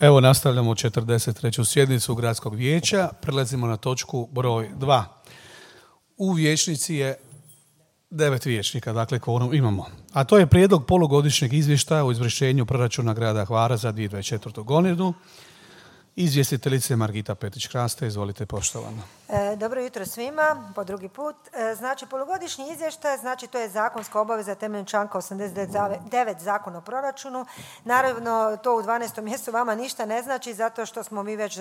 Evo nastavljamo 43. sjednicu Gradskog vijeća. Prelazimo na točku broj 2. U vijećnici je 9 vijećnika, dakle kvorum imamo. A to je prijedlog polugodišnjeg izvještaja o izvršenju proračuna grada Hvara za 2024. godinu. Izvjestiteljice Margita Petrić-Kraste, izvolite poštovana. Dobro jutro svima, po drugi put. Znači, polugodišnji izvještaj, znači to je zakonska obaveza temeljem članka 89 Zakona o proračunu. Naravno, to u 12. mjesecu vama ništa ne znači, zato što smo mi već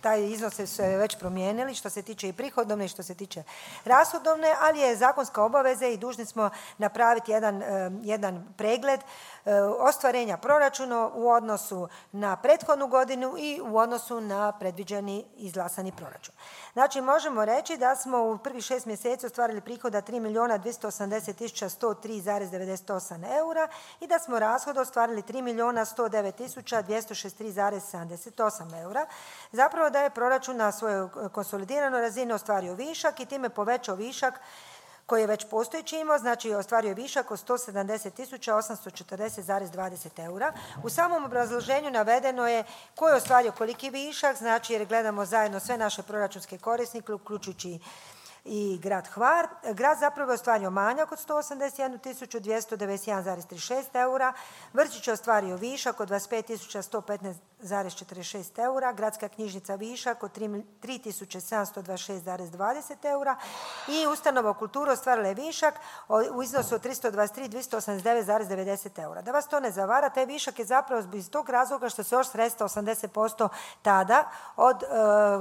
taj iznose su već promijenili, što se tiče i prihodovne i što se tiče rashodovne, ali je zakonska obaveza i dužni smo napraviti jedan pregled ostvarenja proračuna u odnosu na prethodnu godinu i u odnosu na predviđeni izglasani proračun. Znači, možemo reći da smo u prvih 6 mjeseci ostvarili prihoda 3.280.103,98 eura i da smo rashod ostvarili 3.109.263,78 eura. Zapravo da je proračun na svojoj konsolidiranoj razini ostvario višak i time povećao višak koji je već postojeći imao, znači ostvario je višak od 170.840,20 eura. U samom obrazloženju navedeno je ko je ostvario koliki višak, znači jer gledamo zajedno sve naše proračunske korisnike, uključujući i grad Hvar. Grad zapravo je ostvario manjak od 181.291,36 eura, Vrčić je ostvario višak od 25.115,46 eura, gradska knjižnica višak od 3.726,20 eura i ustanova u kulturu ostvarila je višak u iznosu od 323.289,90 eura. Da vas to ne zavara, taj višak je zapravo iz tog razloga što se još sredstva 80% tada od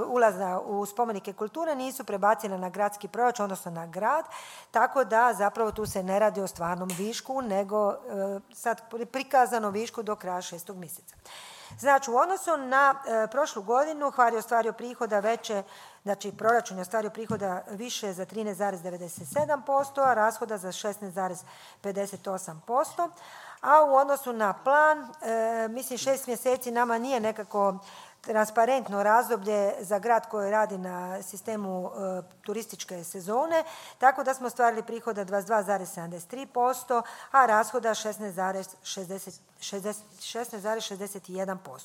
ulaza u spomenike kulture nisu prebacile na gradski proračun, odnosno na grad, tako da zapravo tu se ne radi o stvarnom višku, nego sad prikazano višku do kraja 6. mjeseca. Znači, u odnosu na prošlu godinu Hvar je ostvario prihoda veće, znači proračun je ostvario prihoda više za 13,97%, a rashoda za 16,58%, a u odnosu na plan, mislim 6 mjeseci nama nije nekako transparentno razdoblje za grad koji radi na sistemu turističke sezone, tako da smo ostvarili prihoda 22,73%, a rashoda 16,61%.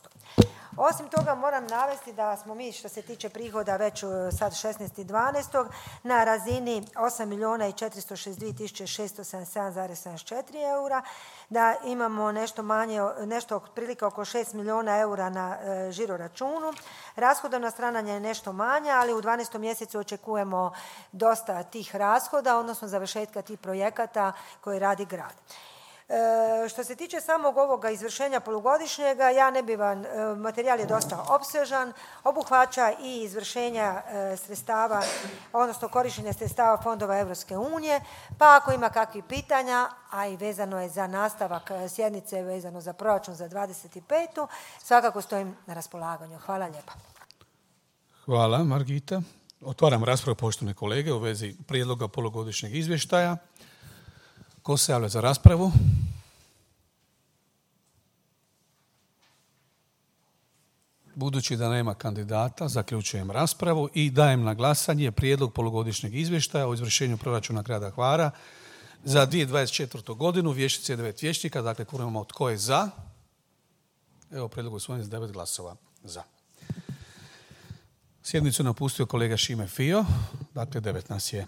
Osim toga moram navesti da smo mi što se tiče prihoda već sad 16.12. na razini 8.462.677,74 eura, da imamo nešto manje, nešto otprilike oko 6 milijuna eura na žiro računu. Rashodovna strana je nešto manja, ali u 12. mjesecu očekujemo dosta tih rashoda, odnosno završetka tih projekata koje radi grad. Što se tiče samog ovoga izvršenja polugodišnjega, ja ne bi vam, materijal je dosta opsežan, obuhvaća i izvršenja sredstava, odnosno korištenja sredstava fondova Europske unije, pa ako ima kakvih pitanja, a i vezano je za nastavak sjednice, vezano za proračun za 25. svakako stojim na raspolaganju. Hvala lijepa. Hvala, Margita. Otvaram raspravu, poštovane kolege, u vezi prijedloga polugodišnjeg izvještaja. Ko se javlja za raspravu? Budući da nema kandidata, zaključujem raspravu i dajem na glasanje prijedlog polugodišnjeg izvještaja o izvršenju proračuna grada Hvara za 2024. godinu. Vijećnici je 9 vijećnika, dakle imamo tko je za. Evo prijedlog usvojen s 9 glasova za. Sjednicu napustio kolega Šime Fio, dakle 9 nas je.